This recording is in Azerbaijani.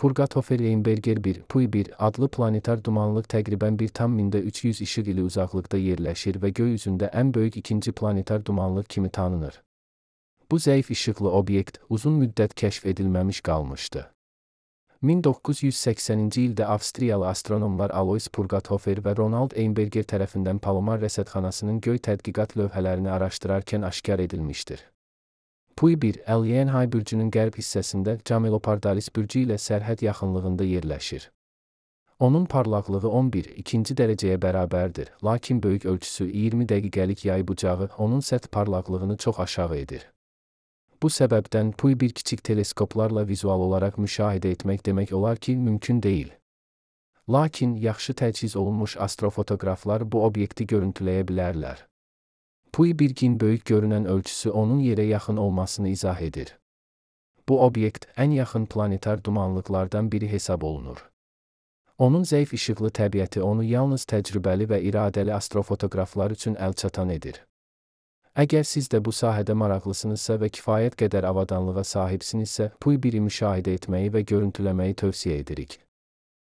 Purgatofer-Leyenberger 1, PUI 1 adlı planetar dumanlıq təqribən 1,300 işıq ili uzaqlıqda yerləşir və göy üzündə ən böyük ikinci planetar dumanlıq kimi tanınır. Bu zəif işıqlı obyekt uzun müddət kəşf edilməmiş qalmışdı. 1980-ci ildə Avstriyalı astronomlar Alois Purgathofer və Ronald Einberger tərəfindən Palomar rəsədxanasının göy tədqiqat lövhələrini araşdırarkən aşkar edilmişdir. PUI 1 L-Yenhay bürcünün qərb hissəsində Camelopardalis bürcü ilə sərhəd yaxınlığında yerləşir. Onun parlaqlığı 11,2 dərəcəyə bərabərdir, lakin böyük ölçüsü 20 dəqiqəlik yay bucağı onun səth parlaqlığını çox aşağı edir. Bu səbəbdən PUI 1 kiçik teleskoplarla vizual olaraq müşahidə etmək demək olar ki, mümkün deyil. Lakin yaxşı təchiz olunmuş astrofotoqraflar bu obyekti görüntüləyə bilərlər. PUI 1-in böyük görünən ölçüsü onun yerə yaxın olmasını izah edir. Bu obyekt ən yaxın planetar dumanlıqlardan biri hesab olunur. Onun zəif işıqlı təbiəti onu yalnız təcrübəli və iradəli astrofotoqraflar üçün əlçatan edir. Əgər siz də bu sahədə maraqlısınızsa və kifayət qədər avadanlığa sahibsinizsə, PUI 1-i müşahidə etməyi və görüntüləməyi tövsiyə edirik.